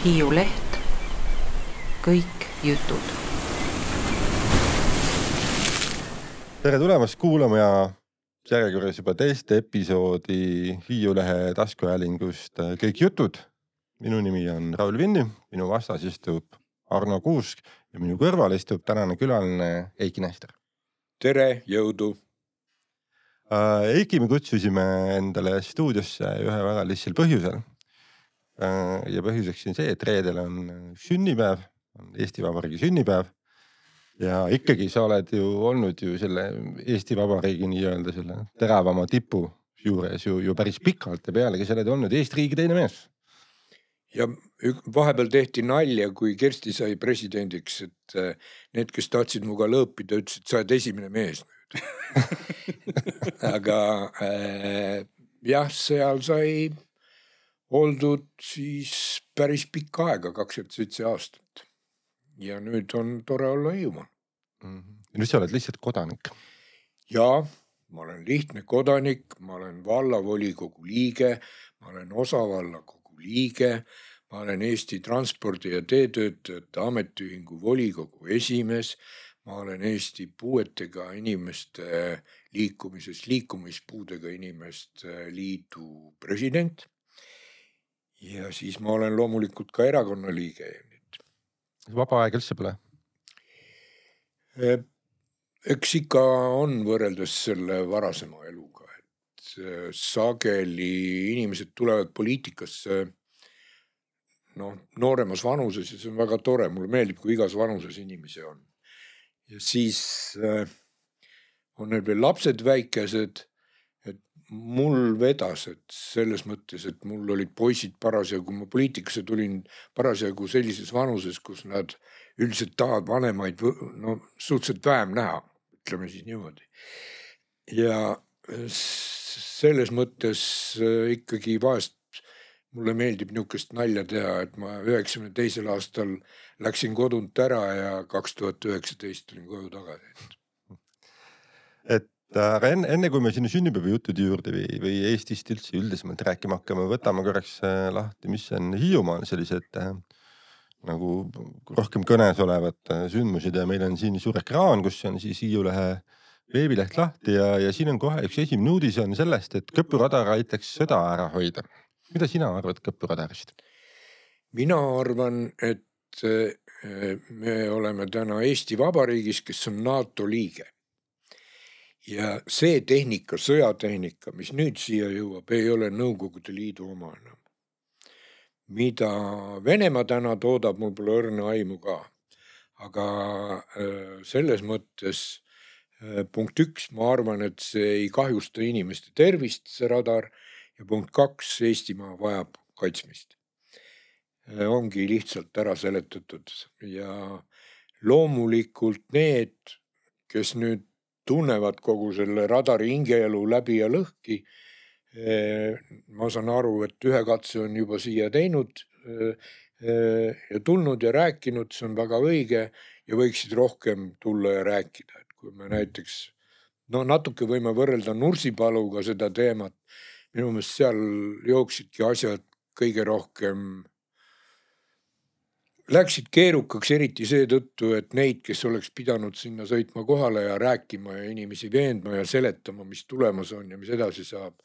Hiiu Leht, kõik jutud. Tere tulemast kuulama ja järjekorras juba teist episoodi Hiiu Lehe taskuhäälingust Kõik jutud. Minu nimi on Raul Vinni, minu vastas istub Arno Kuusk ja minu kõrval istub tänane külaline Eiki Nester. Tere, jõudu! Eiki me kutsusime endale stuudiosse ühe väga lihtsal põhjusel. Ja põhjuseks on see, et reedel on sünnipäev, on Eesti Vabariigi sünnipäev. Ja ikkagi sa oled ju olnud ju selle Eesti Vabariigi nii-öelda selle teravama tipu juures ju päris pikalt ja pealegi sa oled olnud Eesti riigi teine mees. Ja vahepeal tehti nalja, kui Kersti sai presidendiks, et need, kes tahtsid muga lõõpida, ütlesid, sa oled esimene mees nüüd. Aga jah, seal sai oldud siis päris pikka aega, 27 aastat. Ja nüüd on tore olla Hiiumaal. Nüüd sa oled lihtsalt kodanik. Ja, ma olen lihtne kodanik, ma olen vallavolikogu liige, ma olen osavallakogu liige, ma olen Eesti Transpordi- ja Teetöötajate Ametiühingu volikogu esimees, ma olen Eesti puuetega inimeste liikumispuudega inimeste liidu president ja siis ma olen loomulikult ka erakonna liige. Vaba aeg üldse pole? Eks ikka on võrreldes selle varasema eluga, et sageli inimesed tulevad poliitikasse nooremas vanuses ja see on väga tore, mulle meeldib, kui igas vanuses inimesi on. Ja siis on neil veel lapsed väikesed, et mul vedas, et selles mõttes, et mul olid poisid parasjagu, kui ma poliitikasse tulin parasjagu sellises vanuses, kus nad üldiselt tahavad vanemaid suhteliselt vähem näha, ütleme siis niimoodi. Ja selles mõttes ikkagi vahest mulle meeldib niisugust nalja teha, et ma 92. aastal läksin kodunt ära ja 2019 tulin koju tagasi. Et enne kui me sinna sünnipäeva jutud juurde või Eestist üldse üldisemalt rääkima hakkame, võtame korraks lahti, mis on Hiiumaal sellised nagu rohkem kõnes olevad sündmused ja meil on siin suur ekraan, kus on siis Hiiu Lehe veebileht lahti ja siin on kohe üks esimene uudis on sellest, et Kõpuradar aitaks sõda ära hoida. Mida sina arvad Kõpuradarist? Mina arvan, et me oleme täna Eesti Vabariigis, kes on NATO liige. Ja see tehnika, sõjatehnika, mis nüüd siia jõuab, ei ole Nõukogude Liidu oma enam. Mida Venemaa täna toodab, mul pole õrna aimu ka. Aga selles mõttes punkt 1, ma arvan, et see ei kahjusta inimeste tervist, see radar, ja punkt 2, Eestimaa vajab kaitsmist. Ongi lihtsalt ära seletatud ja loomulikult need, kes nüüd tunnevad kogu selle radari hingeelu läbi ja lõhki. Ma saan aru, et ühe katse on juba siia teinud ja tulnud ja rääkinud, see on väga õige ja võiksid rohkem tulla ja rääkida. Et kui me näiteks, natuke võime võrrelda Nursipaluga seda teemat, minu meelest seal jooksidki asjad kõige rohkem läksid keerukaks eriti seetõttu, et neid, kes oleks pidanud sinna sõitma kohale ja rääkima ja inimesi veendma ja seletama, mis tulemas on ja mis edasi saab,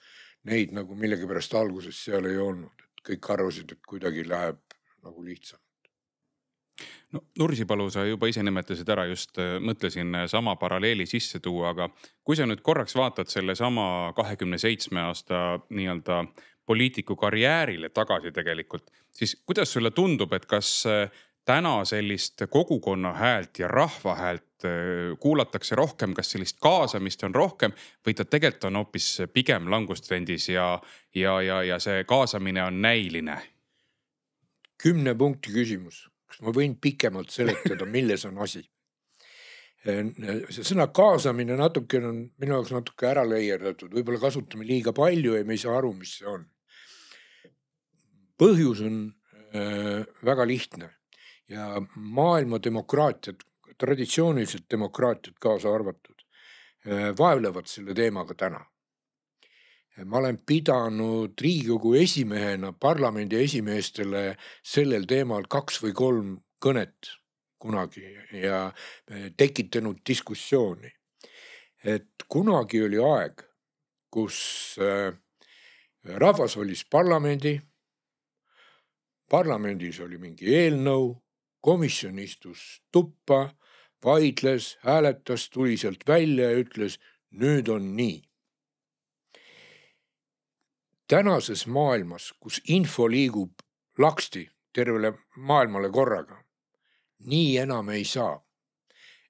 neid nagu millegipärast alguses seal ei olnud. Et kõik arvasid, et kuidagi läheb nagu lihtsamalt. Nursipalu sa juba ise nimetasid ära, just mõtlesin sama paralleeli sisse tuua, aga kui sa nüüd korraks vaatad selle sama 27 aasta nii-öelda poliitiku karjäärile tagasi tegelikult, siis kuidas sulle tundub, et kas täna sellist kogukonna häält ja rahva häält kuulatakse rohkem, kas sellist kaasamist on rohkem või ta tegelikult on hoopis pigem langustrendis ja see kaasamine on näiline? 10 punkti küsimus. Kas ma võin pikemalt seletada, milles on asi? See sõna kaasamine natuke on minu jaoks natuke ära leierdatud, võib-olla kasutame liiga palju ja me ei saa aru, mis see on. Põhjus on väga lihtne ja maailma demokraatiat, traditsiooniliselt demokraatiat kaasa arvatud, vaevlevad selle teemaga täna. ma olen pidanud Riigikogu esimehena parlamendi esimeestele sellel teemal 2 või 3 kõnet kunagi ja tekitanud diskussiooni. Et kunagi oli aeg, kus rahvas valis parlamendis oli mingi eelnõu, komisjon istus tuppa, vaidles, hääletas, tuli sealt välja ja ütles, nüüd on nii. Tänases maailmas, kus info liigub laksti tervele maailmale korraga, nii enam ei saa.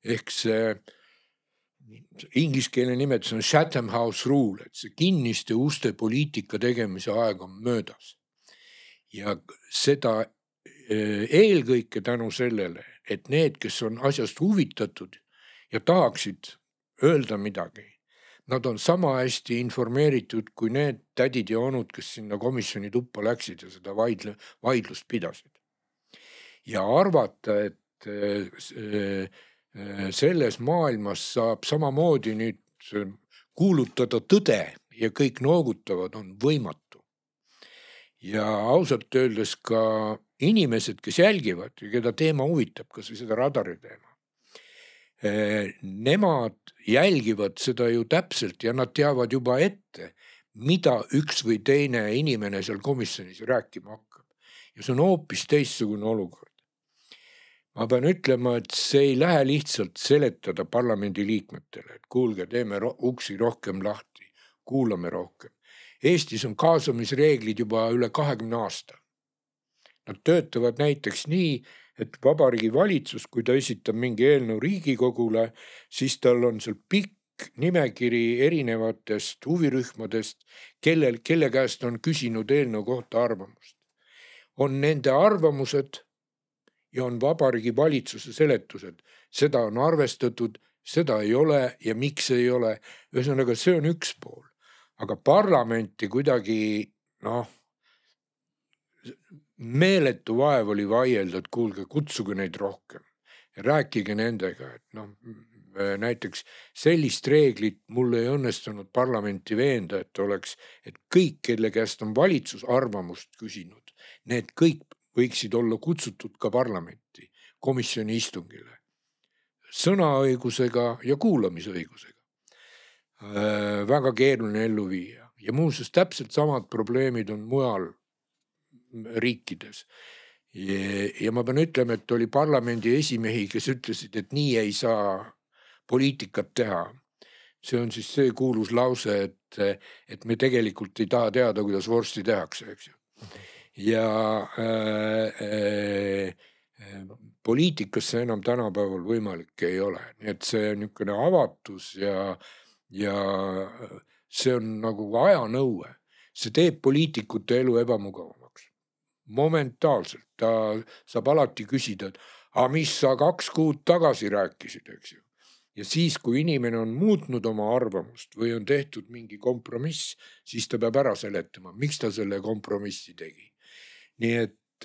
Ehk see ingliskeelne nimetus on Chatham House Rule, et see kinniste uste poliitika tegemise aeg on möödas. Ja seda eelkõike tänu sellele, et need, kes on asjast huvitatud ja tahaksid öelda midagi, nad on sama hästi informeeritud kui need tädid ja onud, kes sinna komisjoni tuppa läksid ja seda vaidlust pidasid. Ja arvata, et selles maailmas saab samamoodi nüüd kuulutada tõde ja kõik noogutavad, on võimatu. Ja ausalt öeldes ka inimesed, kes jälgivad ja keda teema huvitab, kas või seda radari teema, nemad jälgivad seda ju täpselt ja nad teavad juba ette, mida üks või teine inimene seal komisjonis rääkima hakkab. Ja see on hoopis teistsugune olukord. Ma pean ütlema, et see ei lähe lihtsalt seletada parlamendi liikmetele, et kuulge, teeme uksi rohkem lahti, kuulame rohkem. Eestis on kaasamisreeglid juba üle 20 aasta. Nad töötavad näiteks nii, et Vabariigi Valitsus, kui ta esitab mingi eelnõu Riigikogule, siis tal on seal pikk nimekiri erinevatest huvirühmadest, kelle käest on küsinud eelnõu kohta arvamust. On nende arvamused ja on Vabariigi Valitsuse seletused. Seda on arvestatud, seda ei ole ja miks ei ole. Ühesõnaga, see on üks pool. Aga parlamenti kuidagi, meeletu vaev oli vaielda, et kuulge, kutsuge neid rohkem. Ja rääkige nendega, et näiteks sellist reeglit mul ei õnnestunud parlamenti veenda, et kõik, kelle käest on valitsus arvamust küsinud, need kõik võiksid olla kutsutud ka parlamenti, komisjoni istungile. Sõnaõigusega ja kuulamisõigusega. Väga keeruline ellu viia. Ja muuseas täpselt samad probleemid on mujal riikides. Ja ma pean ütlema, et oli parlamendi esimehi, kes ütlesid, et nii ei saa poliitikat teha. See on siis see kuulus lause, et me tegelikult ei taha teada, kuidas vorsti tehakse, eks ju. Ja poliitikasse enam tänapäeval võimalik ei ole. Nii et see on niisugune avatus ja see on nagu ajanõue. See teeb poliitikute elu ebamugavamaks. Momentaalselt. Ta saab alati küsida, et mis sa 2 kuud tagasi rääkisid, eks ju. Ja siis, kui inimene on muutnud oma arvamust või on tehtud mingi kompromiss, siis ta peab ära seletama, miks ta selle kompromissi tegi. Nii et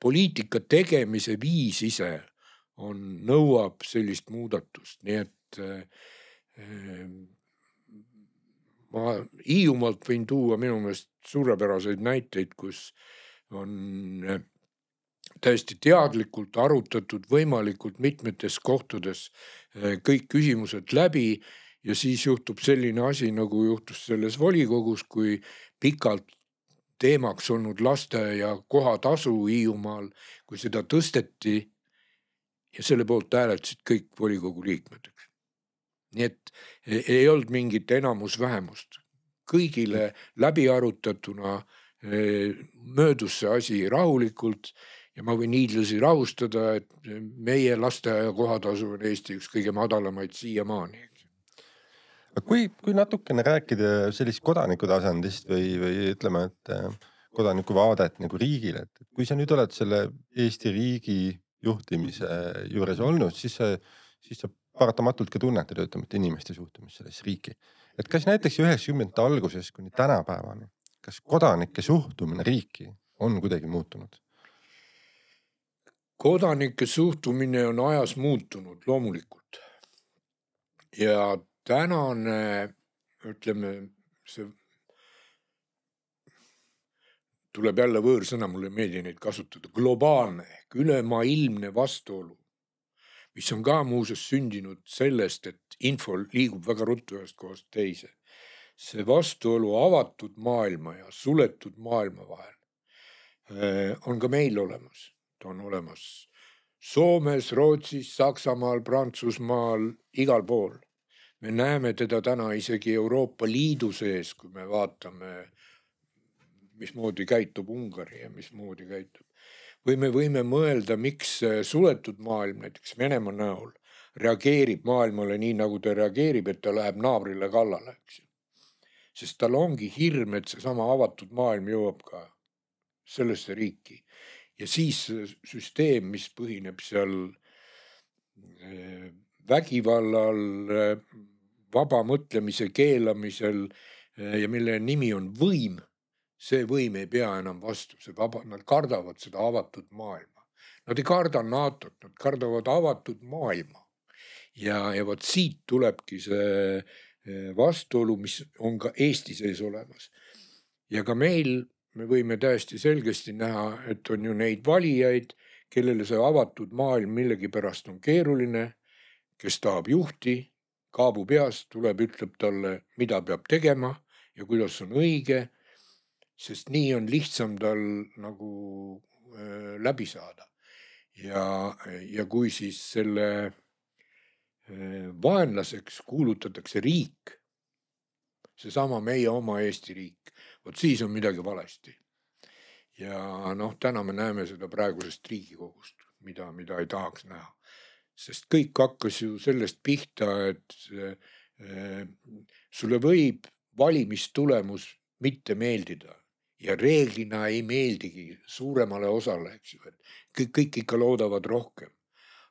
poliitika tegemise viis ise nõuab sellist muudatust. Nii et ma Hiiumaalt võin tuua minu meelest suurepäraseid näiteid, kus on täiesti teadlikult arutatud võimalikult mitmetes kohtades kõik küsimused läbi ja siis juhtub selline asi, nagu juhtus selles volikogus, kui pikalt teemaks olnud lasteaia kohatasu Hiiumaal, kui seda tõsteti ja selle poolt hääletasid kõik volikogu liikmed. Nii et ei olnud mingit enamus-vähemust. Kõigile läbi arutatuna möödus see asi rahulikult ja ma võin hiidlasi rahustada, et meie lasteaia kohatasu on Eesti üks kõige madalamaid siiamaani. Kui natukene rääkida sellist kodaniku tasandist või ütleme, et kodaniku vaadet nagu riigile, et kui sa nüüd oled selle Eesti riigi juhtimise juures olnud, siis sa paratamatult ka tunnetad inimeste suhtumist selles riiki. Et kas näiteks 90. alguses kuni tänapäevani, kas kodanike suhtumine riiki on kuidagi muutunud? Kodanike suhtumine on ajas muutunud loomulikult. Ja tänane ütleme, see tuleb jälle võõrsõna, mulle ei meeldi neid kasutada, globaalne ehk ülemaailmne vastuolu, mis on ka muuseas sündinud sellest, et info liigub väga ruttu ühest kohast teise. See vastuolu avatud maailma ja suletud maailma vahel on ka meil olemas. Ta on olemas Soomes, Rootsis, Saksamaal, Prantsusmaal, igal pool. Me näeme teda täna isegi Euroopa Liidu sees, kui me vaatame, mismoodi käitub Ungari ja mismoodi käitub. Või me võime mõelda, miks suletud maailm, näiteks Venemaa näol, reageerib maailmale nii, nagu ta reageerib, et ta läheb naabrile kallale. Sest tal ongi hirm, et see sama avatud maailm jõuab ka sellesse riiki. Ja siis süsteem, mis põhineb seal vägivallal, vaba mõtlemise keelamisel ja mille nimi on võim, see võim ei pea enam vastu, nad kardavad seda avatud maailma. Nad ei karda NATO-t, nad kardavad avatud maailma. Ja võt siit tulebki see vastuolu, mis on ka Eesti sees olemas. Ja ka meil me võime täiesti selgesti näha, et on ju neid valijaid, kellele see avatud maailm millegi pärast on keeruline, kes tahab juhti, kaabu peast, tuleb, ütleb talle, mida peab tegema ja kuidas on õige, sest nii on lihtsam tal nagu läbi saada. Ja kui siis selle vaenlaseks kuulutatakse riik, seesama meie oma Eesti riik, vot siis on midagi valesti. Ja täna me näeme seda praegusest Riigikogust, mida ei tahaks näha. Sest kõik hakkas ju sellest pihta, et sulle võib valimistulemus mitte meeldida ja reeglina ei meeldigi suuremale osale, eks ju, et kõik ikka loodavad rohkem.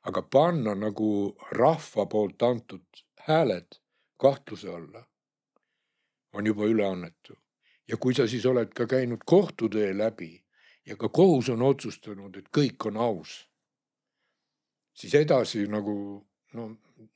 Aga panna nagu rahva poolt antud hääled kahtluse alla on juba üleannetu. Ja kui sa siis oled ka käinud kohtutee läbi ja ka kohus on otsustanud, et kõik on aus, siis edasi nagu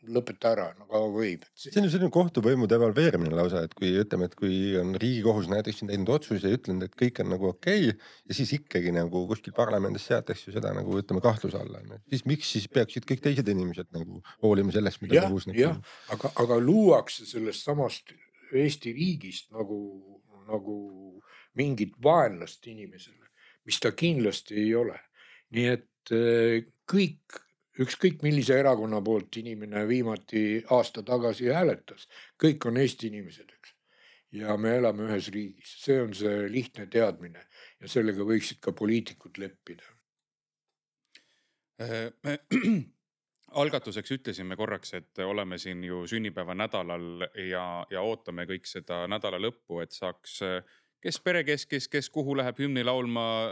lõpeta ära, kaua võib. See on ju selline kohtuvõimu devalveerimine lausa, et kui ütleme, et kui on Riigikohus näiteks teinud otsuse ja ütlenud, et kõik on nagu okei, ja siis ikkagi nagu kuskil parlamendis seatakse seda nagu ütleme kahtluse alla. Siis miks siis peaksid kõik teised inimesed nagu hoolima sellest, mida kohus näeb? Aga luuakse sellest samast Eesti riigist nagu mingit vaenlast inimesele, mis ta kindlasti ei ole. Nii et ükskõik millise erakonna poolt inimene viimati aasta tagasi hääletas, kõik on Eesti inimesed, eks. Ja me elame ühes riigis. See on see lihtne teadmine ja sellega võiksid ka poliitikud leppida. Algatuseks ütlesime korraks, et oleme siin ju sünnipäeva nädalal ja ootame kõik seda nädala lõppu, et saaks kes perekeskis, kes kuhu läheb hümni laulma,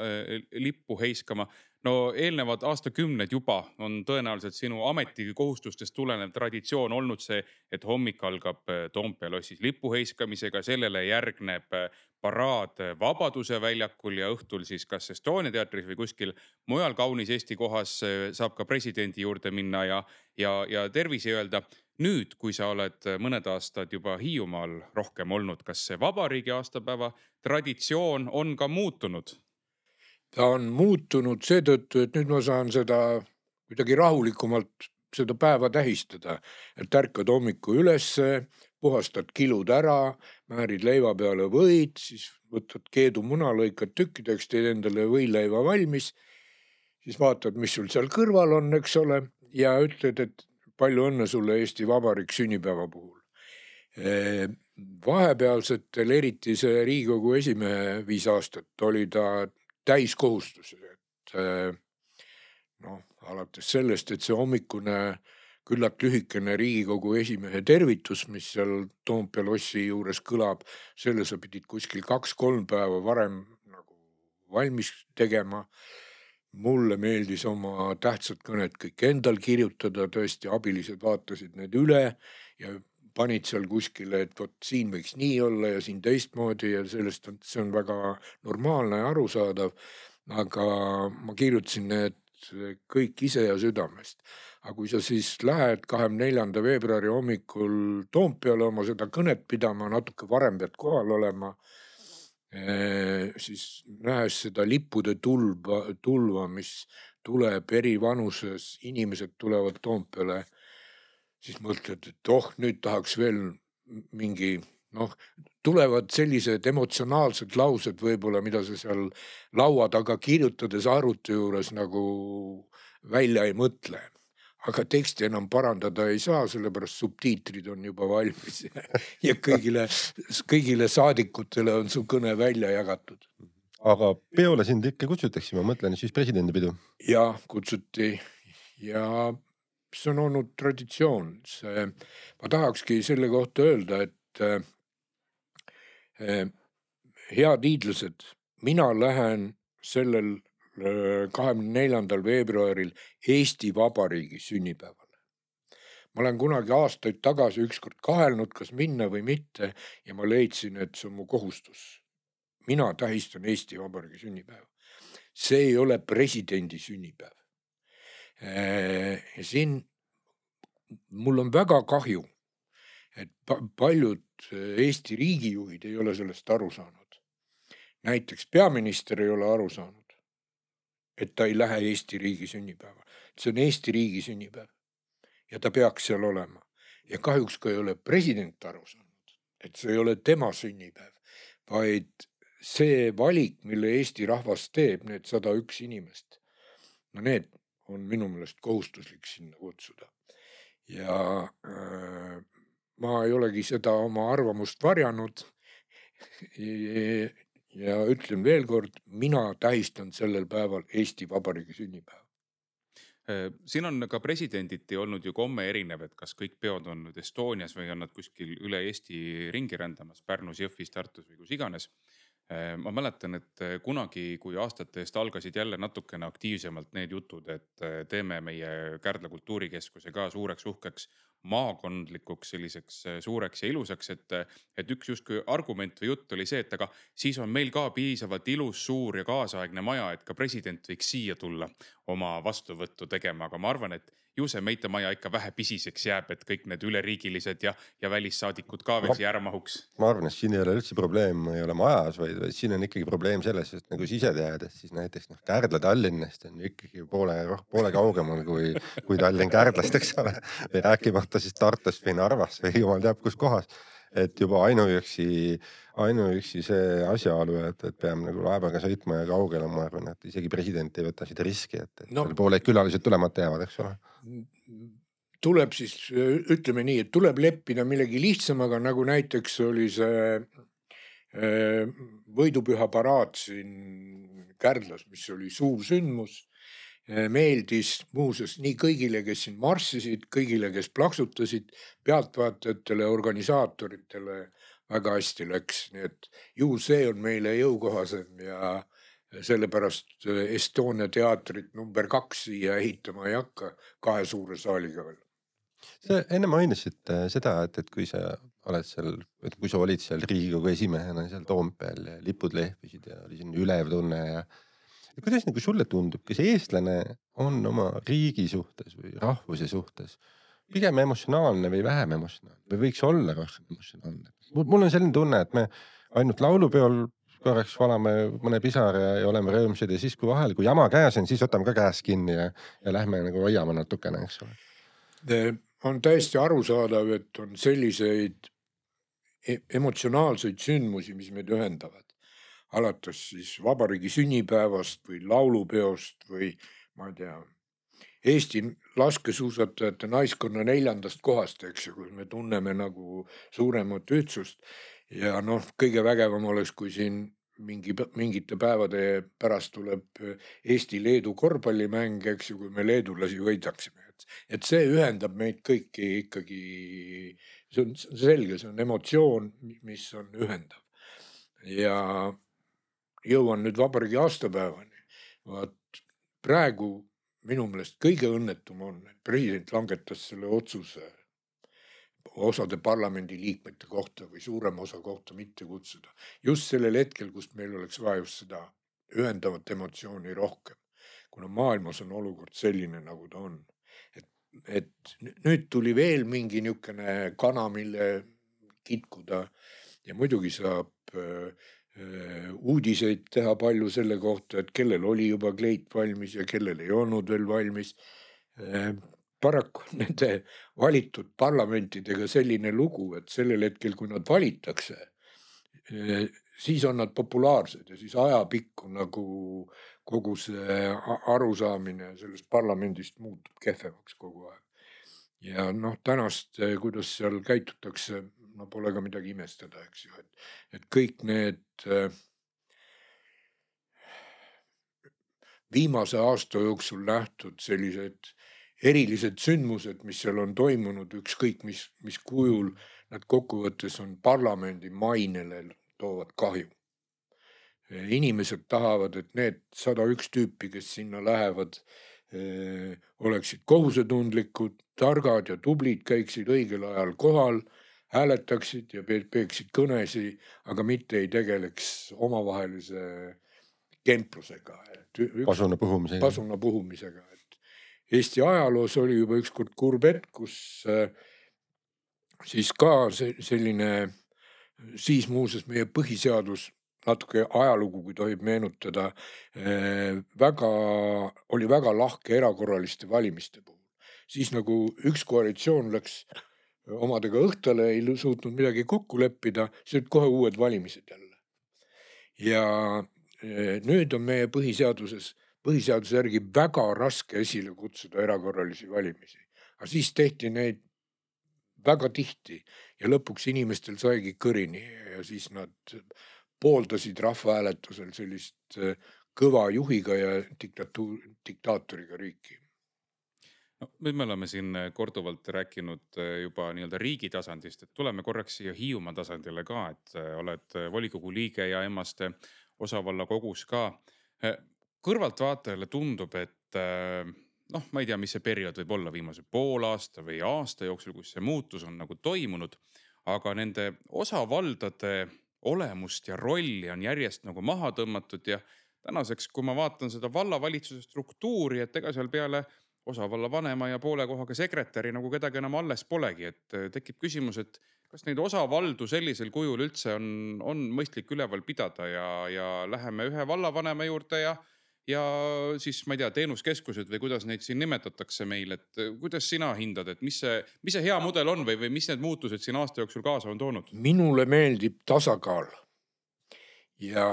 lippu heiskama. No eelnevad aastakümned juba on tõenäoliselt sinu ametikohustustest tulenev traditsioon olnud see, et hommik algab Toompea lossis lippu heiskamisega, sellele järgneb paraad Vabaduse väljakul ja õhtul siis kas Estonia teatris või kuskil mujal kaunis Eesti kohas saab ka presidendi juurde minna ja tervisi öelda. Nüüd, kui sa oled mõned aastad juba Hiiumaal rohkem olnud, kas see vabariigi aastapäeva traditsioon on ka muutunud? Ta on muutunud seetõttu, et nüüd ma saan seda kuidagi rahulikumalt seda päeva tähistada. Et ärkad hommiku ülesse, puhastad kilud ära, määrid leiva peale võid, siis võtad keedu muna, lõikad tükkideks, teed endale võileiva valmis, siis vaatad, mis sul seal kõrval on, eks ole, ja ütled, et palju õnne sulle Eesti Vabariik sünnipäeva puhul. Vahepealsetel, eriti see Riigikogu esimehe 5 aastat oli ta täiskohustus, et alates sellest, et see hommikune küllalt lühikene Riigikogu esimehe tervitus, mis seal Toompea lossi juures kõlab, selle sa pidid kuskil 2-3 päeva varem nagu valmis tegema. Mulle meeldis oma tähtsad kõned kõik endal kirjutada, tõesti abilised vaatasid need üle ja panid seal kuskile, et vot siin võiks nii olla ja siin teistmoodi ja sellest see on väga normaalne ja arusaadav. Aga ma kirjutasin need kõik ise ja südamest. Aga kui sa siis lähed 24. veebruari hommikul Toompeale oma seda kõnet pidama, natuke varem pead kohal olema, siis nähes seda lippude tulva, mis tuleb eri vanuses, inimesed tulevad Toompeale, siis mõtled, et nüüd tahaks veel mingi, tulevad sellised emotsionaalsed laused võib-olla, mida sa seal laua taga kirjutades arvuti juures nagu välja ei mõtle. Aga teksti enam parandada ei saa, sellepärast subtiitrid on juba valmis ja kõigile saadikutele on su kõne välja jagatud. Aga peole sind ikka kutsutakse, ma mõtlen siis presidendipidu. Ja kutsuti ja see on olnud traditsioon. Ma tahakski selle kohta öelda, et head hiidlased, mina lähen sellel 24. veebruaril Eesti Vabariigi sünnipäevale. Ma olen kunagi aastaid tagasi ükskord kahelnud, kas minna või mitte ja ma leidsin, et see on mu kohustus. Mina tähistan Eesti Vabariigi sünnipäeva. See ei ole presidendi sünnipäev. Ja siin mul on väga kahju, et paljud Eesti riigijuhid ei ole sellest aru saanud. Näiteks peaminister ei ole aru saanud, et ta ei lähe Eesti riigi sünnipäeva. See on Eesti riigi sünnipäev ja ta peaks seal olema. Ja kahjuks ka ei ole president aru saanud, et see ei ole tema sünnipäev, vaid see valik, mille Eesti rahvas teeb, need 101 inimest, need on minu meelest kohustuslik sinna kutsuda. Ja ma ei olegi seda oma arvamust varjanud ja ütlen veel kord, mina tähistan sellel päeval Eesti Vabariigi sünnipäeva. Siin on ka presidenditi olnud ju komme erinev, et kas kõik peod on nüüd Estonias või on nad kuskil üle Eesti ringi rändamas, Pärnus, Jõhvis, Tartus või kus iganes. Ma mäletan, et kunagi, kui aastate eest algasid jälle natukene aktiivsemalt need jutud, et teeme meie Kärdla kultuurikeskuse ka suureks uhkeks maakondlikuks selliseks suureks ja ilusaks, et üks justkui argument või jutt oli see, et aga siis on meil ka piisavalt ilus, suur ja kaasaegne maja, et ka president võiks siia tulla oma vastuvõttu tegema, aga ma arvan, et ju see meite maja ikka vähe pisiseks jääb, et kõik need üleriigilised ja välissaadikud ka veel siia ära mahuks. Ma arvan, et siin ei ole üldse probleem, ei ole majas, vaid siin on ikkagi probleem selles, et nagu sise tead, et siis näiteks Kärdla Tallinnast on ikkagi poole kaugemal kui Tallinn Kärdlast, eks ole, või rääkimata siis Tartust või Narvast või jumal teab kus kohas. Et juba ainuüksi see asjaolu, et peame nagu laevaga sõitma ja kaugele, ma arvan, et isegi president ei võta seda riski, et poole külalised tulemata jäävad, eks ole. Tuleb siis, ütleme nii, et tuleb leppida millegi lihtsamaga, nagu näiteks oli see võidupüha paraad siin Kärdlas, mis oli suur sündmus. Meeldis muuseas nii kõigile, kes siin marssisid, kõigile, kes plaksutasid, pealtvaatajatele, organisaatoritele väga hästi läks. Nii et ju see on meile jõukohasem ja sellepärast Estonia teatrit number 2 siia ehitama ei hakka 2 suure saaliga veel. Sa enne mainisid seda, et kui sa oled seal, kui sa olid seal Riigikogu esimehena seal Toompeel ja lipud lehvisid ja oli siin ülev tunne ja kuidas nagu sulle tundub, kas eestlane on oma riigi suhtes või rahvuse suhtes pigem emotsionaalne või vähem emotsionaalne või võiks olla rohkem emotsionaalne? Mul on selline tunne, et me ainult laulupeol korraks valame mõne pisar ja oleme rõõmsad ja siis kui vahel, kui jama käes on, siis võtame ka käes kinni ja lähme nagu hoiame natukene, eks ole. On täiesti arusaadav, et on selliseid emotsionaalseid sündmusi, mis meid ühendavad. Alates siis vabariigi sünnipäevast või laulupeost või ma ei tea, Eesti laskesuusatajate naiskonna 4. kohast, eks ju, kus me tunneme nagu suuremat ühtsust ja kõige vägevam oleks, kui siin mingite päevade pärast tuleb Eesti-Leedu korvpallimäng, eks ju, kui me leedulasi võidaksime. Et see ühendab meid kõiki ikkagi, see on selge, see on emotsioon, mis on ühendav ja jõuan nüüd vabariigi aastapäevani. Praegu minu meelest kõige õnnetum on, et president langetas selle otsuse osade parlamendi liikmete kohta või suurema osa kohta mitte kutsuda. Just sellel hetkel, kus meil oleks vaja just seda ühendavat emotsiooni rohkem. kuna maailmas on olukord selline, nagu ta on. Et nüüd tuli veel mingi niisugune kana, mille kitkuda ja muidugi saab uudiseid teha palju selle kohta, et kellel oli juba kleit valmis ja kellel ei olnud veel valmis. Paraku nende valitud parlamentidega selline lugu, et sellel hetkel, kui nad valitakse, siis on nad populaarsed ja siis ajapikku nagu kogu see arusaamine sellest parlamendist muutub kehvemaks kogu aeg. Ja tänast, kuidas seal käitutakse, pole ka midagi imestada, eks ju, et kõik need viimase aasta jooksul nähtud sellised erilised sündmused, mis seal on toimunud, ükskõik mis kujul, nad kokkuvõttes on parlamendi mainele toovad kahju. Inimesed tahavad, et need 101 tüüpi, kes sinna lähevad, oleksid kohusetundlikud, targad ja tublid, käiksid õigel ajal kohal, hääletaksid ja peeksid kõnesi, aga mitte ei tegeleks omavahelise kemplusega. Pasuna puhumisega. Eesti ajaloos oli juba ükskord kurb hetk, kus siis ka selline, siis muuseas meie põhiseadus, natuke ajalugu, kui tohib meenutada, oli väga lahke erakorraliste valimiste puhul. Siis nagu üks koalitsioon läks omadega õhtale, ei suutnud midagi kokku leppida, siis olid kohe uued valimised jälle. Ja nüüd on meie põhiseaduse järgi väga raske esile kutsuda erakorralisi valimisi. Aga siis tehti neid väga tihti ja lõpuks inimestel saigi kõrini ja siis nad pooldasid rahvahääletusel sellist kõva juhiga ja diktaatoriga riiki. Nüüd me oleme siin korduvalt rääkinud juba nii-öelda riigi tasandist, et tuleme korraks siia Hiiumaa tasandile ka, et oled volikogu liige ja Emmaste osavalla kogus ka. Kõrvaltvaatajale tundub, et ma ei tea, mis see periood võib olla viimase pool aasta või aasta jooksul, kus see muutus on nagu toimunud, aga nende osavaldade olemust ja rolli on järjest nagu maha tõmmatud ja tänaseks, kui ma vaatan seda vallavalitsuse struktuuri, et ega seal peale osavalla vanema ja poole kohaga sekretäri nagu kedagi enam alles polegi, et tekib küsimus, et kas neid osavaldu sellisel kujul üldse on mõistlik üleval pidada ja läheme ühe vallavanema juurde ja siis, ma ei tea, teenuskeskused või kuidas neid siin nimetatakse meil, et kuidas sina hindad, et mis see hea mudel on või mis need muutused siin aasta jooksul kaasa on toonud? Minule meeldib tasakaal ja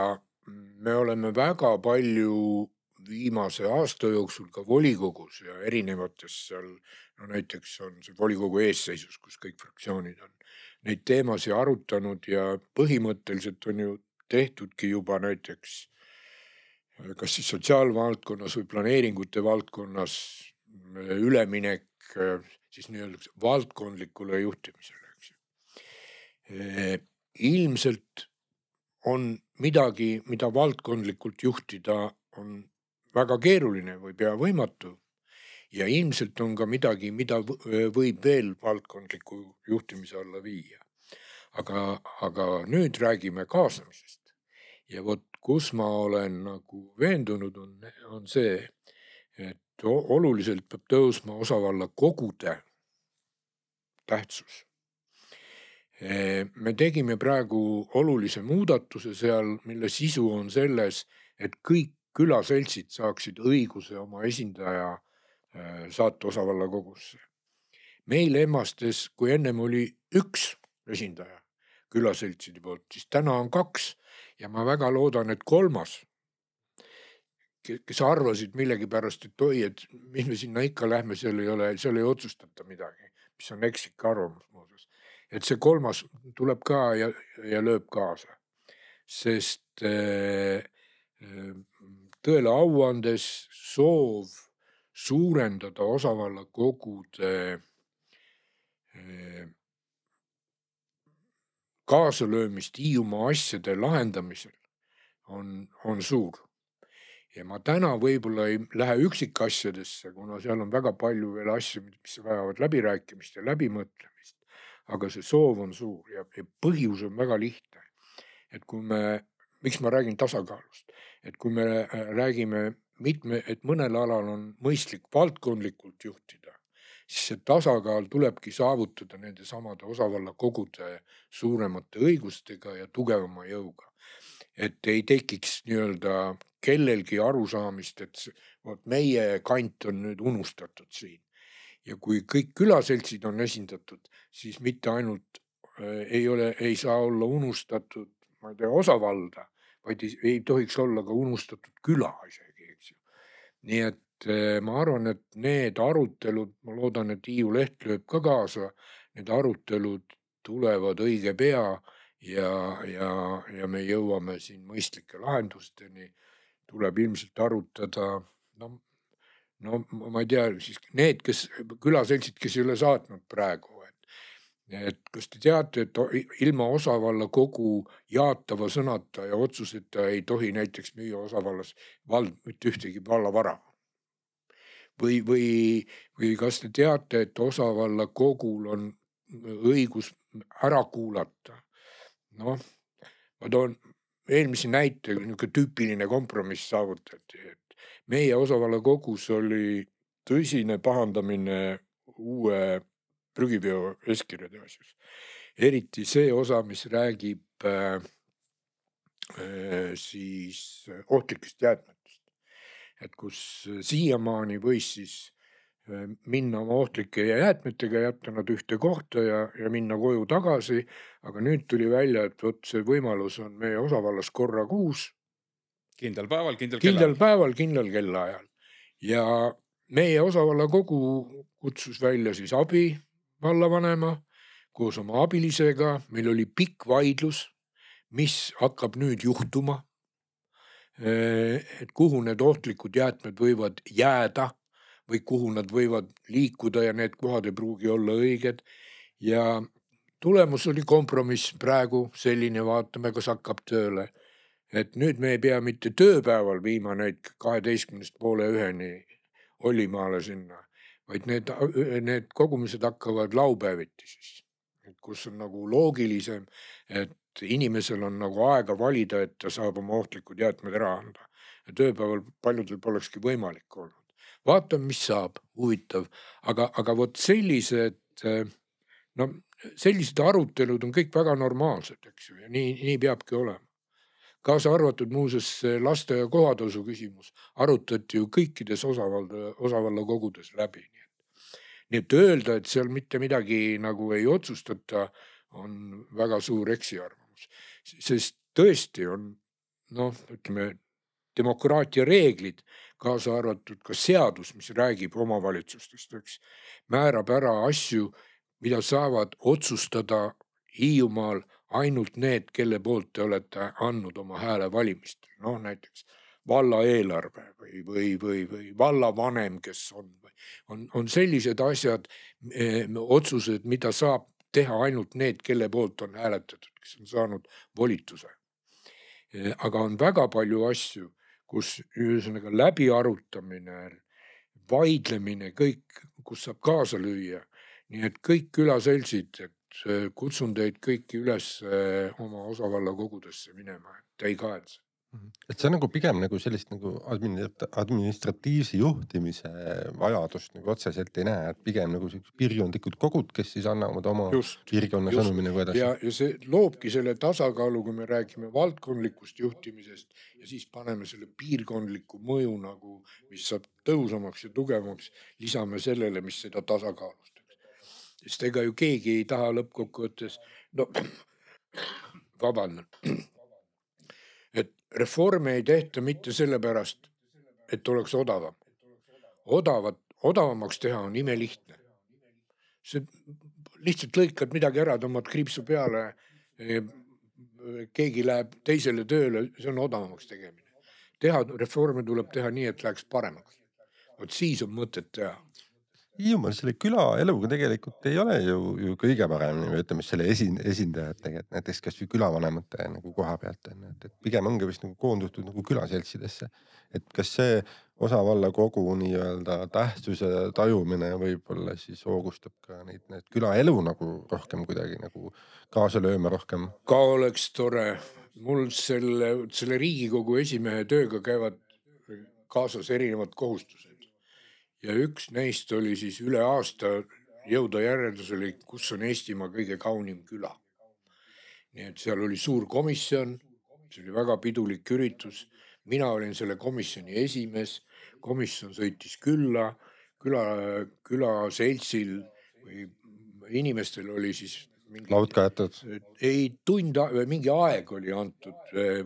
me oleme väga palju viimase aasta jooksul ka volikogus ja erinevates seal, näiteks on see volikogu eesseisus, kus kõik fraktsioonid on, neid teemasid arutanud ja põhimõtteliselt on ju tehtudki juba näiteks kas siis sotsiaalvaldkonnas või planeeringute valdkonnas üleminek siis nii-öelda valdkondlikule juhtimisele, eks. Ilmselt on midagi, mida valdkondlikult juhtida on väga keeruline või pea võimatu ja ilmselt on ka midagi, mida võib veel valdkondliku juhtimise alla viia. Aga nüüd räägime kaasamisest ja kus ma olen nagu veendunud on see, et oluliselt peab tõusma osavalla kogude tähtsus. Me tegime praegu olulise muudatuse seal, mille sisu on selles, et kõik külaseltsid saaksid õiguse oma esindaja saata osavalla kogusse. Meil Emmastes, kui ennem oli üks esindaja külaseltside poolt, siis täna on 2 ja ma väga loodan, et 3, kes arvasid millegi pärast, et et mis me sinna ikka lähme, seal ei otsustata midagi, mis on ekslik arvamus muuseas. Et see 3 tuleb ka ja lööb kaasa, sest tõele au andes soov suurendada osavalla kogude kaasalöömist Hiiumaa asjade lahendamisel on suur. Ja ma täna võib-olla ei lähe üksikasjadesse, kuna seal on väga palju veel asju, mis vajavad läbirääkimist ja läbimõtlemist. Aga see soov on suur ja põhjus on väga lihtne. Et kui miks ma räägin tasakaalust? Et kui me räägime et mõnel alal on mõistlik valdkondlikult juhtida, siis see tasakaal tulebki saavutada nende samade osavallakogude suuremate õigustega ja tugevama jõuga. Et ei tekiks nii-öelda kellelgi arusaamist, et meie kant on nüüd unustatud siin. Ja kui kõik külaseltsid on esindatud, siis mitte ainult ei saa olla unustatud, ma ei tea, osavalda, vaid ei tohiks olla ka unustatud küla isegi, eks ju. Nii et ma arvan, et need arutelud, ma loodan, et Hiiu Leht lööb ka kaasa, need arutelud tulevad õige pea ja me jõuame siin mõistlike lahendusteni. Tuleb ilmselt arutada, no ma ei tea, siis need, külaseltsid, kes ei ole saatnud praegu, et kas te teate, et ilma osavalla kogu jaatava sõnata ja otsuseta ei tohi näiteks müüa osavallas mitte ühtegi vallavara. Või kas te teate, et osavalla kogul on õigus ära kuulata? Noh, ma toon eelmise näite, niisugune tüüpiline kompromiss saavutati, et meie osavalla kogus oli tõsine pahandamine uue prügiveo eeskirjade asjus. Eriti see osa, mis räägib siis ohtlikest jäätmetest. Et kus siiamaani võis siis minna oma ohtlike jäätmetega, jätta nad ühte kohta ja minna koju tagasi, aga nüüd tuli välja, et see võimalus on meie osavallas korra kuus. Kindlal päeval, kindlal kellaajal. Ja meie osavalla kogu kutsus välja siis abi vallavanema koos oma abilisega. Meil oli pikk vaidlus, mis hakkab nüüd juhtuma, et kuhu need ohtlikud jäätmed võivad jääda või kuhu nad võivad liikuda ja need kohad ei pruugi olla õiged. Ja tulemus oli kompromiss praegu selline, vaatame, kas hakkab tööle. Et nüüd me ei pea mitte tööpäeval viima neid 12:30 Ollimaale sinna, vaid need kogumised hakkavad laupäeviti siis, kus on nagu loogilisem, et inimesel on nagu aega valida, et ta saab oma ohtlikud jäätmed ära anda. Ja tööpäeval paljudel polekski võimalik olnud. Vaatame, mis saab, huvitav, aga vot sellised arutelud on kõik väga normaalsed, eks ju, ja nii peabki olema. Kaasa arvatud muuseas lasteaia kohatasu küsimus arutati ju kõikides osavalla kogudes läbi. Nii et öelda, et seal mitte midagi nagu ei otsustata, on väga suur eksiarvamus. Sest tõesti on, ütleme, demokraatia reeglid, kaasa arvatud ka seadus, mis räägib omavalitsustest, eks, määrab ära asju, mida saavad otsustada Hiiumaal ainult need, kelle poolt te olete andnud oma hääle valimistel. Näiteks valla eelarve või vallavanem, kes on sellised asjad, otsused, mida saab teha ainult need, kelle poolt on hääletatud, kes on saanud volituse. Aga on väga palju asju, kus ühesõnaga läbi arutamine, vaidlemine, kõik, kus saab kaasa lüüa. Nii et kõik külaseltsid, kutsun teid kõiki üles oma osavalla kogudesse minema, et ei kahetse. Et see on nagu pigem nagu sellist nagu administratiivse juhtimise vajadust nagu otseselt ei näe, et pigem nagu piirkondlikud kogud, kes siis annavad oma piirkonna sõnumi nagu edasi. Ja see loobki selle tasakaalu, kui me räägime valdkondlikust juhtimisest ja siis paneme selle piirkondliku mõju nagu, mis saab tõusamaks ja tugevamaks, lisame sellele, mis seda tasakaalustaks. Sest ega ju keegi ei taha lõppkokkuvõttes, vabandan. Et reforme ei tehta mitte sellepärast, et oleks odavam. Odavamaks teha on imelihtne. See lihtsalt lõikad midagi ära, tõmbad kriipsu peale, keegi läheb teisele tööle, see on odavamaks tegemine. Reforme tuleb teha nii, et läheks paremaks. Vot siis on mõtet teha. Hiiumaal selle külaeluga tegelikult ei ole ju kõige paremini, või ütleme selle esindajad tegelikult, näiteks kas või külavanemate nagu koha pealt, et pigem ongi vist nagu koondutud nagu külaseltsidesse. Et kas see osavalla kogu nii-öelda tähtsuse tajumine võib-olla siis hoogustab ka need külaelu nagu rohkem kuidagi nagu kaasa lööma rohkem? Ka oleks tore. Mul selle Riigikogu esimehe tööga käivad kaasas erinevad kohustused. Ja üks neist oli siis üle aasta jõuda järeldusele, kus on Eestimaa kõige kaunim küla. Nii et seal oli suur komisjon, see oli väga pidulik üritus. Mina olin selle komisjoni esimees, komisjon sõitis küla seltsil või inimestel oli siis mingi, laud kaetud. ei mingi aeg oli antud,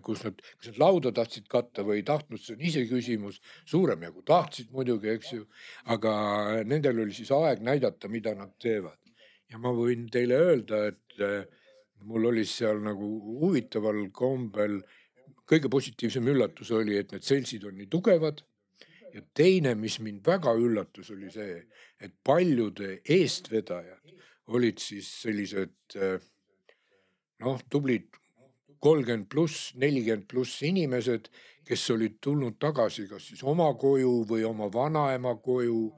kus nad lauda tahtsid katta või ei tahtnud, see on ise küsimus, suurem jagu tahtsid muidugi, eks ju, aga nendel oli siis aeg näidata, mida nad teevad. Ja ma võin teile öelda, et mul oli seal nagu huvitaval kombel, kõige positiivsem üllatus oli, et need seltsid on nii tugevad. Ja teine, mis mind väga üllatus, oli see, et paljude eestvedajad olid siis sellised tublid 30+, 40+ inimesed, kes olid tulnud tagasi kas siis oma koju või oma vanaema koju,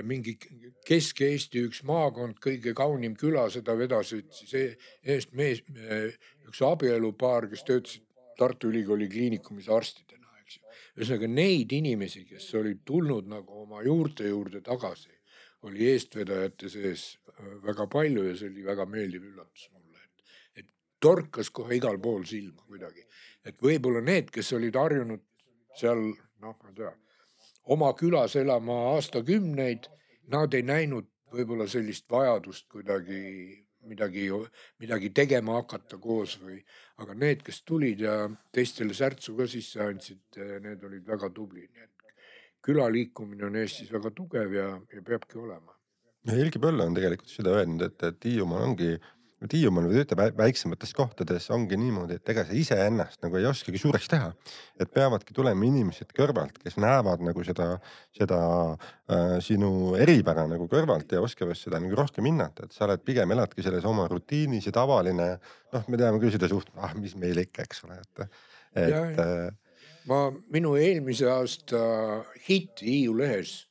mingi Kesk-Eesti üks maakond, kõige kaunim küla, seda vedasid siis eest mees, üks abielupaar, kes töötasid Tartu Ülikooli kliinikumis arstidena. Ühesõnaga neid inimesi, kes olid tulnud nagu oma juurte juurde tagasi, oli eestvedajate sees väga palju ja see oli väga meeldiv üllatus mulle, et torkas kohe igal pool silma kuidagi. Et võib-olla need, kes olid harjunud seal, ma ei tea, oma külas elama aastakümneid, nad ei näinud võib-olla sellist vajadust kuidagi midagi tegema hakata koos või, aga need, kes tulid ja teistele särtsu ka sisse andsid, need olid väga tublid. Külaliikumine on Eestis väga tugev ja peabki olema. Helgi Põlla on tegelikult seda öelnud, et Hiiumaal või töötab väiksemates kohtades ongi niimoodi, et ega sa ise ennast nagu ei oskagi suureks teha. Et peavadki tulema inimesed kõrvalt, kes näevad nagu seda sinu eripära nagu kõrvalt ja oskavad seda nagu rohkem hinnata, et sa oled pigem eladki selles oma rutiinis ja tavaline, me teame küll seda mis meil ikka, eks ole, minu eelmise aasta hitt Hiiu lehes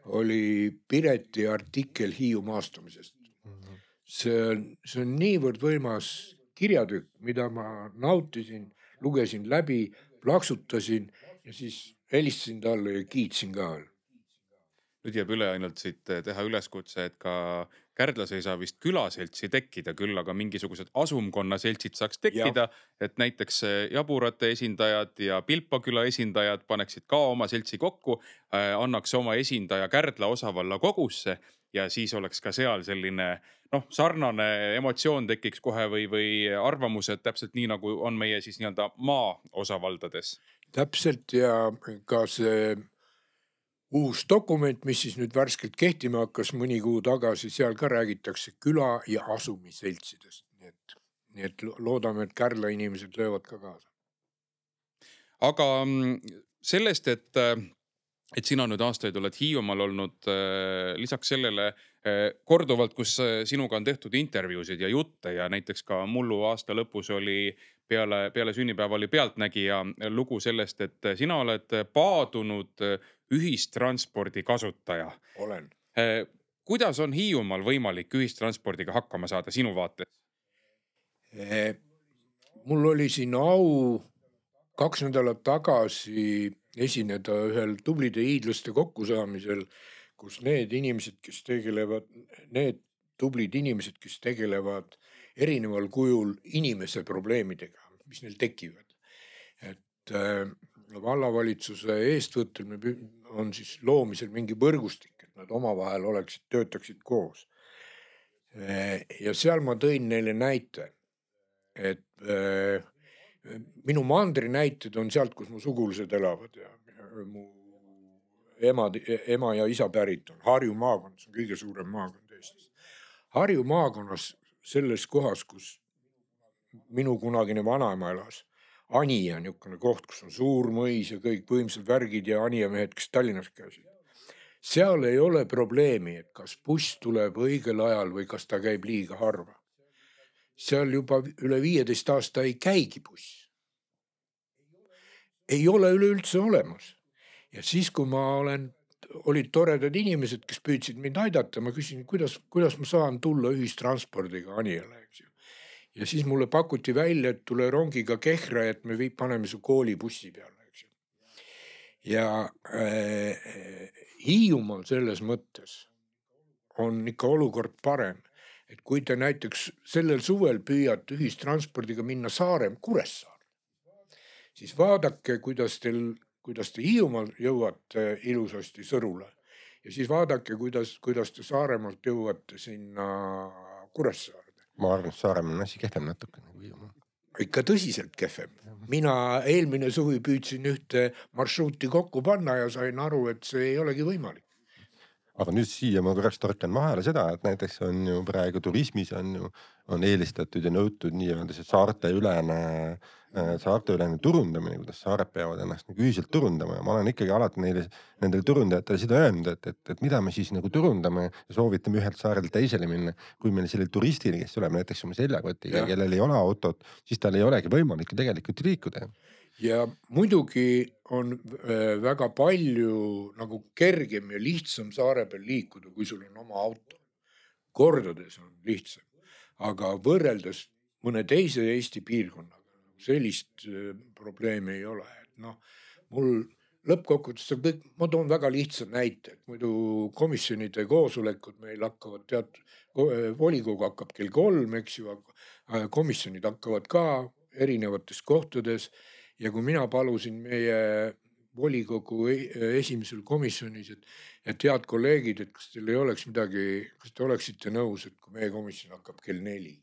oli Pireti artikkel Hiiu maastumisest. See on niivõrd võimas kirjatükk, mida ma nautisin, lugesin läbi, plaksutasin ja siis helistasin talle ja kiitsin ka. Nüüd jääb üle ainult siit teha üleskutse, et ka Kärdlas ei saa vist külaseltsi tekkida, küll aga mingisugused asumkonna seltsid saaks tekkida, et näiteks Jaburate esindajad ja Pilpaküla esindajad paneksid ka oma seltsi kokku, annaks oma esindaja Kärdla osavalla kogusse ja siis oleks ka seal selline sarnane emotsioon tekiks kohe või arvamused täpselt nii, nagu on meie siis nii-öelda maa osavaldades. Täpselt ja ka see uus dokument, mis siis nüüd värskelt kehtima hakkas mõni kuu tagasi, seal ka räägitakse küla ja asumiseltsidest. Nii et loodame, et Kärdla inimesed löövad ka kaasa. Aga sellest, et sina nüüd aastaid oled Hiiumaal olnud, lisaks sellele korduvalt, kus sinuga on tehtud intervjuusid ja jutte ja näiteks ka mullu aasta lõpus oli peale sünnipäeva oli Pealtnägija lugu sellest, et sina oled paadunud ühistranspordi kasutaja. Olen. Kuidas on Hiiumaal võimalik ühistranspordiga hakkama saada sinu vaates? Mul oli siin au 2 nädalat tagasi esineda ühel tublide hiidlaste kokkusaamisel, kus need tublid inimesed, kes tegelevad erineval kujul inimese probleemidega, mis neil tekivad. Et vallavalitsuse eestvõttel on siis loomisel mingi võrgustik, et nad omavahel töötaksid koos. Ja seal ma tõin neile näite, et minu mandri näited on sealt, kus mu sugulased elavad ja mu ema ja isa pärit on. Harju maakond, see on kõige suurem maakond Eestis. Harju maakonnas selles kohas, kus minu kunagine vanaema elas, Anija niisugune koht, kus on suur mõis ja kõik võimsad värgid ja Anija mehed, kes Tallinnas käisid. Seal ei ole probleemi, et kas buss tuleb õigel ajal või kas ta käib liiga harva. Seal juba üle 15 aasta ei käigi buss. Ei ole üleüldse olemas. Ja siis, kui olid toredad inimesed, kes püüdsid mind aidata, ma küsin, kuidas ma saan tulla ühistranspordiga Anijale, eks ju. Ja siis mulle pakuti välja, et tule rongiga Kehra, et me paneme su koolibussi peale, eks ju. ja Hiiumaal selles mõttes on ikka olukord parem, et kui te näiteks sellel suvel püüate ühistranspordiga minna Kuressaare, siis vaadake, kuidas te Hiiumaal jõuate ilusasti Sõrule ja siis vaadake, kuidas te Saaremaalt jõuate sinna Kuressaarde. Ma arvan, et Saaremaal on asi kehvem natuke nagu Hiiumaal. Ikka tõsiselt kehvem. Mina eelmine suvi püüdsin ühte marsruuti kokku panna ja sain aru, et see ei olegi võimalik. Aga nüüd siia ma korraks torkan vahele seda, et näiteks on ju praegu turismis on eelistatud ja nõutud nii-öelda see saarteülene turundamine, kuidas saared peavad ennast nagu ühiselt turundama ja ma olen ikkagi alati nendele turundajatele seda öelnud, et mida me siis nagu turundame ja soovitame ühelt saarelt teisele minna, kui meil sellel turistil, kes tuleb näiteks oma seljakotiga, kellel ei ole autot, siis tal ei olegi võimalik ju tegelikult liikuda. Ja muidugi on väga palju nagu kergem ja lihtsam saare peal liikuda, kui sul on oma auto. Kordades on lihtsam, aga võrreldes mõne teise Eesti piirkonnaga sellist probleemi ei ole. No, mul lõppkokkuvõttes, ma toon väga lihtsa näite, et muidu komisjonide koosolekud meil hakkavad volikogu hakkab kell 3, eks ju, komisjonid hakkavad ka erinevates kohtades. Ja kui mina palusin meie volikogu esimesel komisjonis, et head kolleegid, et kas teil ei oleks midagi, kas te oleksite nõus, et kui meie komisjon hakkab kell 4,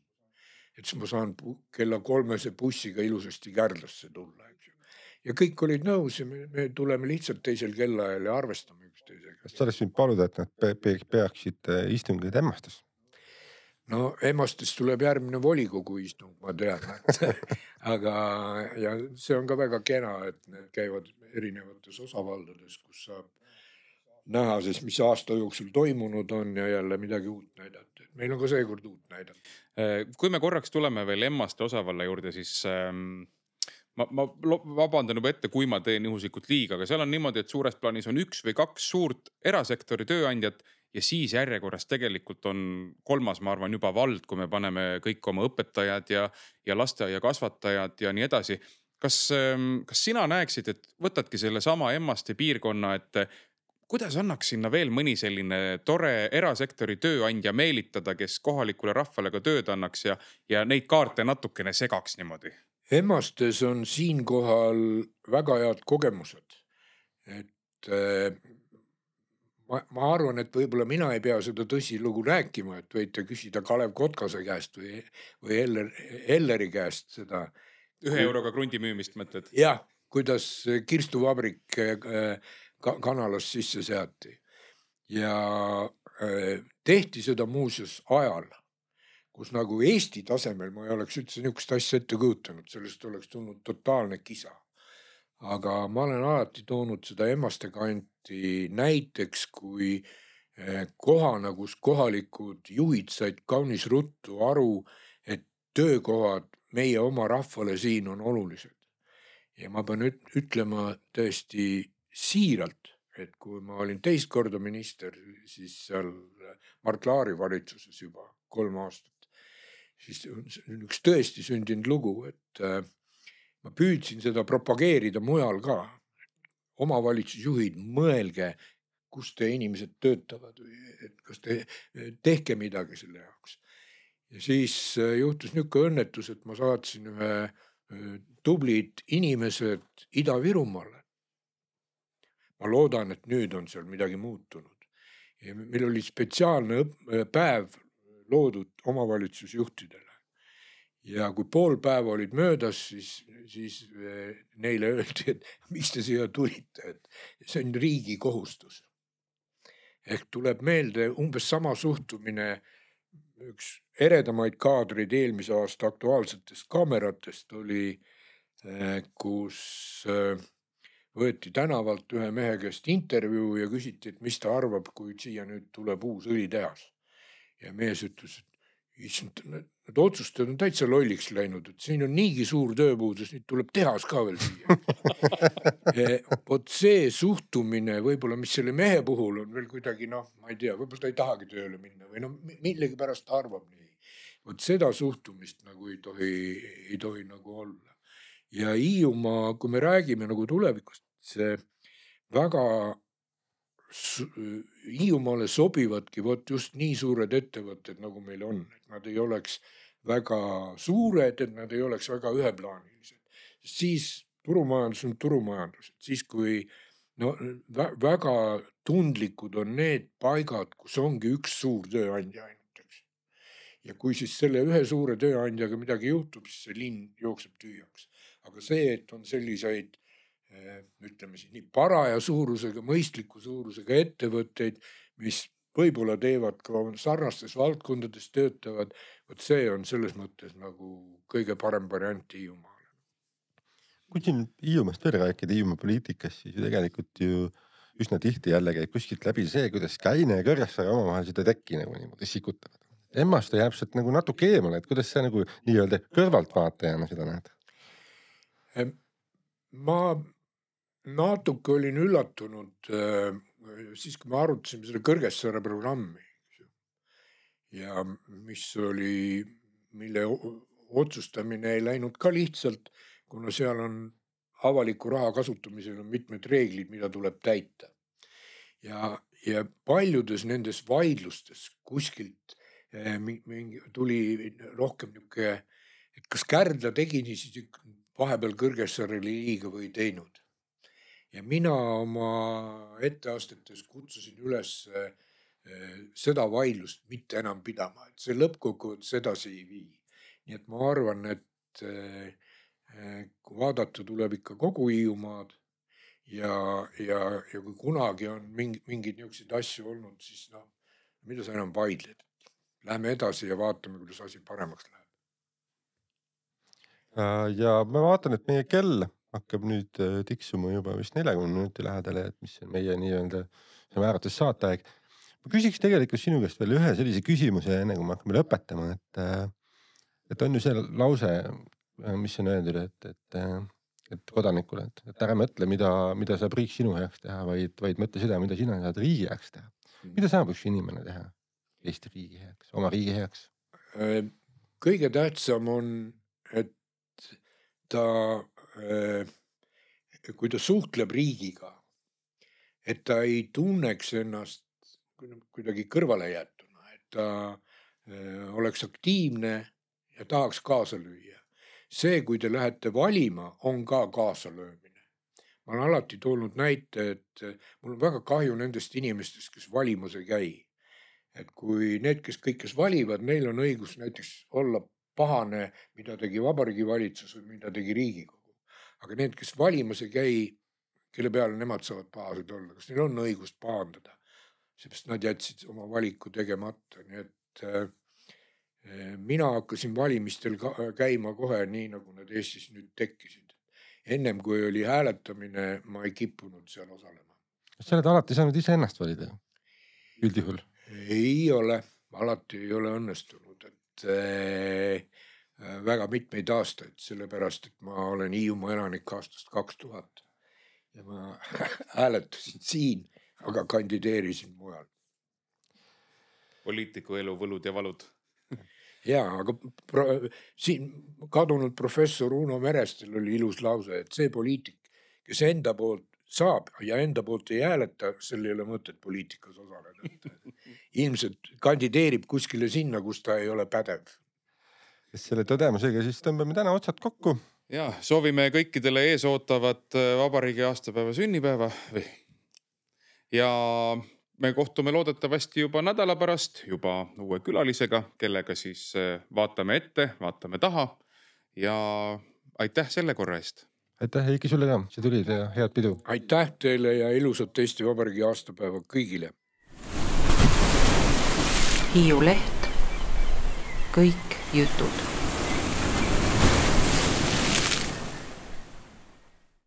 et siis ma saan kella 3 bussiga ilusasti Kärdlasse tulla. Ja kõik olid nõus ja me tuleme lihtsalt teisel kellaajal ja arvestame üksteisega. Kas sa oleks võinud paluda, et nad peaksid istungeid Emmastes? No Emmastes tuleb järgmine volikogu istung, ma tean. Aga ja see on ka väga kena, et need käivad erinevates osavaldades, kus saab näha, sest mis aasta jooksul toimunud on ja jälle midagi uut näidata. Meil on ka seekord uut näidata. Kui me korraks tuleme veel Emmaste osavalla juurde, siis ma vabandan juba ette, kui ma teen juhuslikult liiga, aga seal on niimoodi, et suures plaanis on 1 või 2 suurt erasektori tööandjat ja siis järjekorras tegelikult on 3, ma arvan, juba vald, kui me paneme kõik oma õpetajad ja lasteaia kasvatajad ja nii edasi. Kas sina näeksid, et võtadki selle sama Emmaste piirkonna, et kuidas annaks sinna veel mõni selline tore erasektori tööandja meelitada, kes kohalikule rahvale ka tööd annaks ja neid kaarte natukene segaks niimoodi? Emmastes on siinkohal väga head kogemused. Et ma arvan, et võib-olla mina ei pea seda tõsilugu rääkima, et võite küsida Kalev Kotkase käest või Elleri käest seda. 1 euroga krundi müümist mõtled? Jah, kuidas kirstuvabrik kanalas sisse seati. Ja tehti seda muuseas ajal, kus nagu Eesti tasemel ma ei oleks üldse niisugust asja ette kujutanud, sellest oleks tulnud totaalne kisa. Aga ma olen alati toonud seda Emmaste kanti näiteks, kui kohana, kus kohalikud juhid said kaunis ruttu aru, et töökohad meie oma rahvale siin on olulised. Ja ma pean ütlema tõesti siiralt, et kui ma olin teist korda minister, siis seal Mart Laari valitsuses juba 3 aastat, siis üks tõesti sündinud lugu, et ma püüdsin seda propageerida mujal ka. Omavalitsusjuhid, mõelge, kus te inimesed töötavad, et kas te tehke midagi selle jaoks. Ja siis juhtus niisugune õnnetus, et ma saatsin ühe tublid inimesed Ida-Virumaale. Ma loodan, et nüüd on seal midagi muutunud. Ja meil oli spetsiaalne päev loodud omavalitsusjuhtidele. Ja kui pool päeva olid möödas, siis neile öeldi, et miks te siia tulite, et see on riigi kohustus. Ehk tuleb meelde umbes sama suhtumine, üks eredamaid kaadreid eelmise aasta aktuaalsetest kaameratest oli, kus võeti tänavalt ühe mehe käest intervjuu ja küsiti, et mis ta arvab, kui siia nüüd tuleb uus õlitehas. Ja mees ütles, et need otsustajad on täitsa lolliks läinud, et siin on niigi suur tööpuudus, nüüd tuleb tehas ka veel siia. Vot see suhtumine võib-olla, mis selle mehe puhul on veel kuidagi, ma ei tea, võib-olla ta ei tahagi tööle minna või millegi pärast ta arvab nii. Vot seda suhtumist nagu ei tohi nagu olla. Ja Hiiumaa, kui me räägime nagu tulevikust, see väga Hiiumaale sobivadki just nii suured ettevõtted, nagu meil on, et nad ei oleks väga suured, et nad ei oleks väga üheplaanilised. Siis turumajandus on turumajandus, et siis kui väga tundlikud on need paigad, kus ongi üks suur tööandja ainult, eks. Ja kui siis selle ühe suure tööandjaga midagi juhtub, siis see linn jookseb tühjaks. Aga see, et on selliseid ütleme siis nii paraja suurusega, mõistliku suurusega ettevõtteid, mis võib-olla teevad ka sarnastes valdkondades töötavad, see on selles mõttes nagu kõige parem variant Hiiumaale. Kui siin Hiiumaast veel rääkida Hiiumaa poliitikast, siis tegelikult ju üsna tihti jälle käib kuskilt läbi see, kuidas Käine ja Kõrgessaare omavahel seda tekki nagu niimoodi sikutavad. Emmast jääb sealt nagu natuke eemale, et kuidas sa nagu nii-öelda kõrvaltvaatajana seda näed? Ma natuke olin üllatunud siis, kui me arutasime selle Kõrgessaare programmi ja mille otsustamine ei läinud ka lihtsalt, kuna seal on avaliku raha kasutamisel on mitmed reeglid, mida tuleb täita. Ja paljudes nendes vaidlustes kuskilt tuli rohkem niisugune, et kas Kärdla tegi siis vahepeal Kõrgessaarele liiga või teinud. Ja mina oma etteastetes kutsusin üles seda vaidlust mitte enam pidama, et see lõppkokkuvõttes edasi ei vii. Nii et ma arvan, et kui vaadata tuleb ikka kogu Hiiumaad ja kui kunagi on mingid niisugused asju olnud, siis mida sa enam vaidled? Lähme edasi ja vaatame, kuidas asi paremaks läheb. Ja ma vaatan, et meie kell hakkab nüüd tiksuma juba vist 40 minuti lähedale, et mis on meie nii-öelda määrates saateaeg. Ma küsiks tegelikult sinu käest veel ühe sellise küsimuse, enne kui me hakkame lõpetama, et on ju see lause, mis on öeldud, et kodanikule, et ära mõtle, mida saab riik sinu heaks teha, vaid mõtle seda, mida sina saad riigi heaks teha. Mida saab üks inimene teha Eesti riigi heaks, oma riigi heaks? Kõige tähtsam on, et kui ta suhtleb riigiga, et ta ei tunneks ennast kuidagi kõrvale jätuna, et ta oleks aktiivne ja tahaks kaasa lüüa. See, kui te lähete valima, on ka kaasalöömine. Ma olen alati toonud näite, et mul on väga kahju nendest inimestest, kes valimas ei käi. Et kui need, kes valivad, neil on õigus näiteks olla pahane, mida tegi Vabariigi Valitsus või mida tegi Riigikogu. Aga need, kes valimas ei käi, kelle peale nemad saavad pahased olla, kas neil on õigust pahandada, seepärast nad jätsid oma valiku tegemata. Nii et mina hakkasin valimistel käima kohe nii, nagu need Eestis nüüd tekkisid. Ennem kui oli hääletamine, ma ei kippunud seal osalema. Kas sa oled alati saanud ise ennast valida? Üldjuhul? Ei ole, alati ei ole õnnestunud, et väga mitmeid aastaid, sellepärast, et ma olen Hiiumaa elanik aastast 2000 ja ma hääletasin siin, aga kandideerisin mujal. Poliitiku elu võlud ja valud. Jaa, aga siin kadunud professor Uno Merestel oli ilus lause, et see poliitik, kes enda poolt saab ja enda poolt ei hääleta, sel ei ole mõtet poliitikas osaleda. Ilmselt kandideerib kuskile sinna, kus ta ei ole pädev. Selle tõdemusega siis tõmbame täna otsad kokku. Ja, soovime kõikidele ees ootavat vabariigi aastapäeva sünnipäeva. Ja me kohtume loodetavasti juba nädala pärast, juba uue külalisega, kellega siis vaatame ette, vaatame taha ja aitäh selle korra eest. Aitäh, Heiki, sulle ka. See tulid ja head pidu. Aitäh teile ja ilusat Eesti Vabariigi aastapäeva kõigile. Hiiu Leht. Kõik jutud.